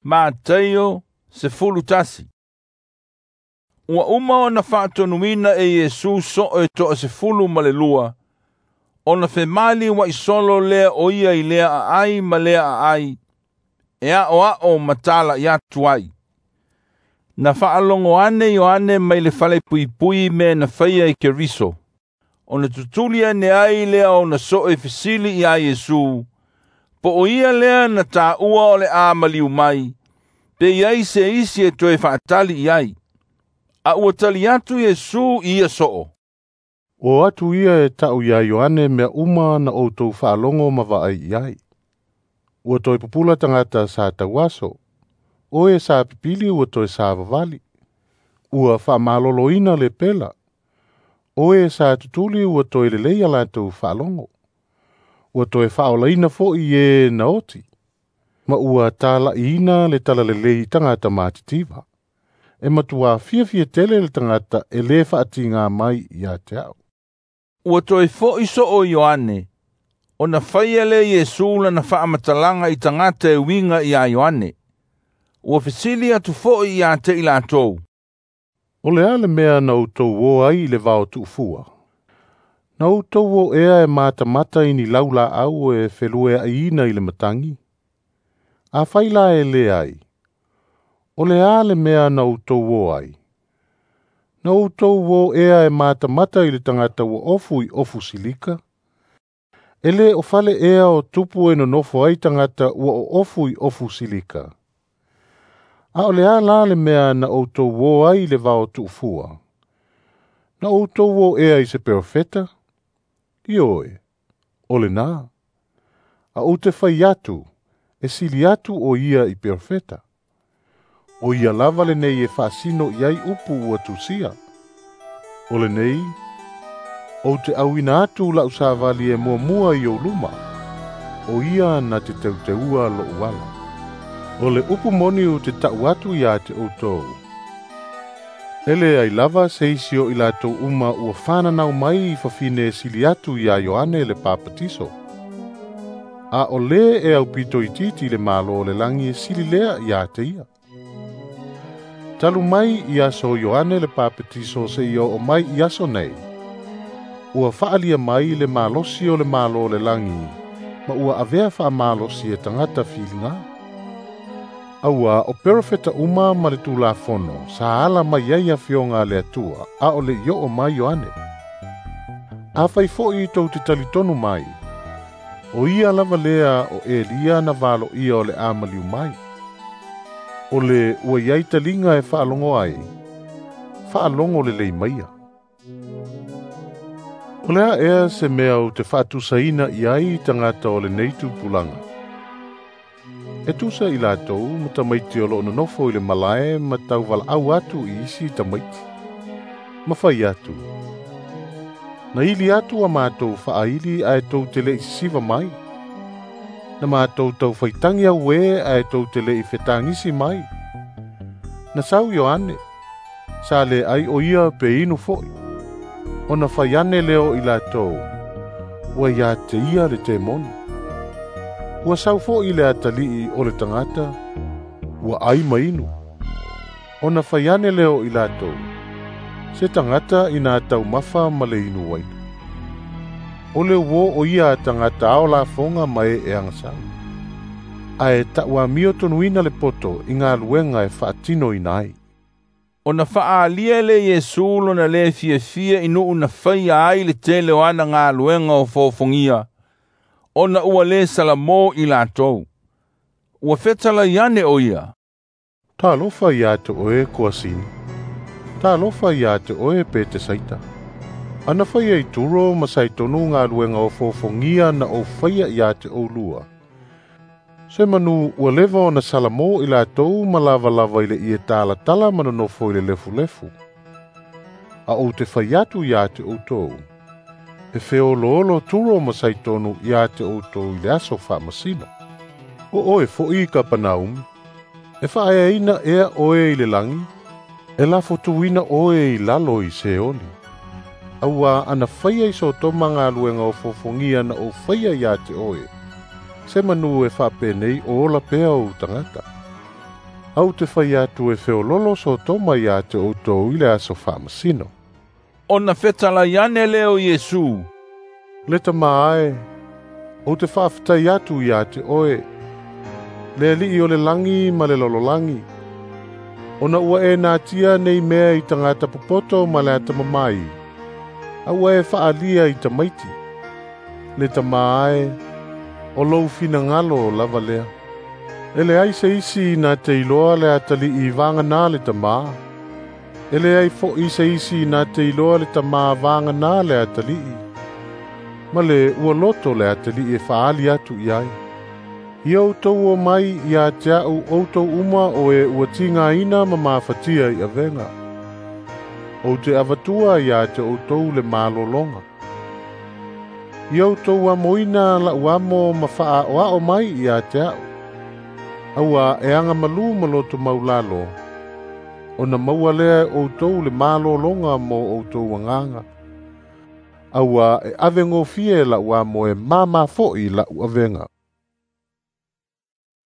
Mataio 11. Ua uma ona faatonuina e Iesu soo e 12, ona femali uaʻisolo lea o ia i lea aai ma lea aai, e aʻoaʻo ma talaʻi atu ai. Na faalogo ane Ioane mai le falepuipui mea na faia i Keriso, ona tutuli ane ai lea ona soo e fesili iā Iesu, po o ia lea na taua o le a maliu mai, pe i ai se isi e toe faatali i ai. A ua tali atu Iesu i ia soo. O atu ia e tau iā Ioane mea uma na outou faalogo ma vaai i ai. Ua toe pupula tagata sa tauaso. O e sa pipili ua toe savavali. Ua faamaloloina le pela. O e sa tutuli ua toe lelei a latou faalogo. Ua toe faaolaina foʻi e na oti. Ma ua talaʻiina le talalelei i tagata matitiva. E matuā fiafia tele le tagata e lē faatigā mai ia te aʻu. Ua toe foʻi soo Ioane, ona faia lea Iesu lana faamatalaga i tagata e uiga iā Ioane. Ua fesili atu foʻi iā te i latou. O le a le mea na outou o ai i le vao tuufua? Na outou o ea e matamata i ni laulaau e felueaʻiina i le matagi? Afai la e leai, o le a le mea na outou o ai? Na outou o ea e matamata i le tagata ua ofu i ofu silika? E lē o fale ea o tupu e nonofo ai tagata ua oofu i ofu silika? A o le a la le mea na outou o ai i le vao tuufua? Na outou o ea i se perofeta? Ioe, o lenā. A ou te fai atu, e sili atu o ia i perofeta. O ia lava lenei e faasino i ai upu ua tusia. O lenei, ou te auina atu lau savali e muamua i ou luma. O ia na te teuteua loʻu ala. O le upu moni ou te taʻu atu iā te outou. E leai lava se isi o i latou uma ua fananau mai i fafine e sili atu iā Ioane le Papatiso. A o lē e aupito itiiti le Malo o le lagi e sili lea iā te ia. Talu mai i aso o Ioane le Papatiso seia oo mai i aso nei, ua faaalia mai le malosi o le Malo o le lagi, ma ua avea faamalosi e tagata filiga. Auā o perofeta uma ma le Tulafono sa ala mai ai afioga a le Atua, a o leʻi oo mai Ioane. Afai foʻi tou te talitonu mai, o ia lava lea o Elia na valoia o le a maliu mai. O le ua iai taliga e faalogo ai, faalogo lelei maia. O le a ea se mea ou te faatusaina i ai tagata o lenei tupulaga? E tusa i latou ma tamaiti o loo nonofo i le malae ma tauvalaau atu i isi tamaiti. Ma fai atu. Na ili atu a matou faaili ae tou te leʻi sisiva mai. Na matou taufaitagi auē ae tou te leʻi fetagisi mai. Na sau Ioane, sa lē ai o ia pe inu foʻi. Ona fai ane lea o i latou, ua iā te ia le temoni. Ua sau foʻi le atalii o le tagata, ua ai ma inu. Ona fai ane lea o i latou, se tagata ina taumafa ma le inu uaina. O le uō o ia a tagata ao lafoga ma e e agasau. Ae taʻuamio tonuina le poto i galuega e faatinoina ai. Ona faaalia le Iesu lona lē fiafia i nuu na faia ai le tele o ana galuega o fofogia, ona ua lē salamō i latou. Ua fetalai ane o ia. Talofa iā te oe Koasini. Talofa iā te oe Petesaita. Ana faia i Turo ma Saitonu galuega o fofogia na ou faia iā te oulua. Se manu ua leva ona salamō i latou ma lavalava i le ie talatala ma nonofo i le lefulefu. A ou te fai atu iā te outou. E feoloolo Turo ma Saitonu iā te outou i le aso faamasino. O oe foʻi i Kapanaumi, e faaeaina ea oe i le lagi, e lafotuina oe i lalo i Seoli. Auā ana faia i Sotoma galuega o fofogia na ou faia iā te oe, se manu e faapenei o ola pea ou tagata. Ou te fai atu e feololo Sotoma ia te outou i le aso faamasino. Ona fetalai ane lea o Iesu, Le Tamā e, ou te faafetai atu ia te oe, le Alii o le lagi ma le lalolagi, ona ua e natia nei mea i tagata popoto ma le atamamai, a ua e faalia i tamaiti. Le Tamā e, o lou finagalo lava lea. E leai se isi na te iloa le atalii vagana le Tamā. E leai fo'i se isi na te iloa le Tamā vagana le atalii. Ma le ua loto le atalii e faaali atu i ai. Ia outou omai ia te a'u outou uma o e ua tigaina ma mafatia i avega. Ou te avatua ia te outou le malologa. Ia outou amoina la'u amo ma faaaoao mai ia te a'u. Aua e agamalu ma loto maulalo, ona maua lea e outou le malologa mo outou agaga. Aua e avegofie la'u amo e māmā fo'i la'u avega.